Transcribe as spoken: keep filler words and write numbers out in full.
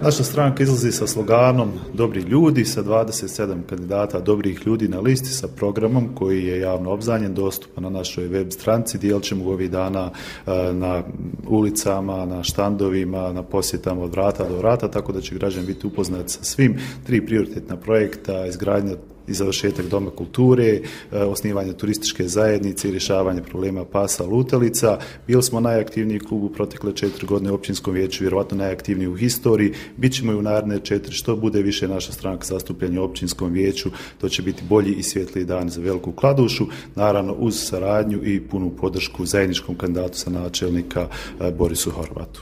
Naša stranka izlazi sa sloganom Dobri ljudi, sa dvadeset sedam kandidata dobrih ljudi na listi, sa programom koji je javno obznanjen, dostupan na našoj web stranici. Dijelit ćemo ga ovih dana na ulicama, na štandovima, na posjetama od vrata do vrata, tako da će građani biti upoznati sa svim tri prioritetna projekta: izgradnja i završetak Doma kulture, osnivanje turističke zajednice i rješavanje problema pasa lutalica. Bili smo najaktivniji klub u protekle četiri godine u općinskom vijeću, vjerovatno najaktivniji u historiji. Bićemo i u naredne četiri. Što bude više naša stranka zastupljena u općinskom vijeću, to će biti bolji i svjetliji dan za Veliku Kladušu, naravno uz saradnju i punu podršku zajedničkom kandidatu za načelnika Borisu Horvatu.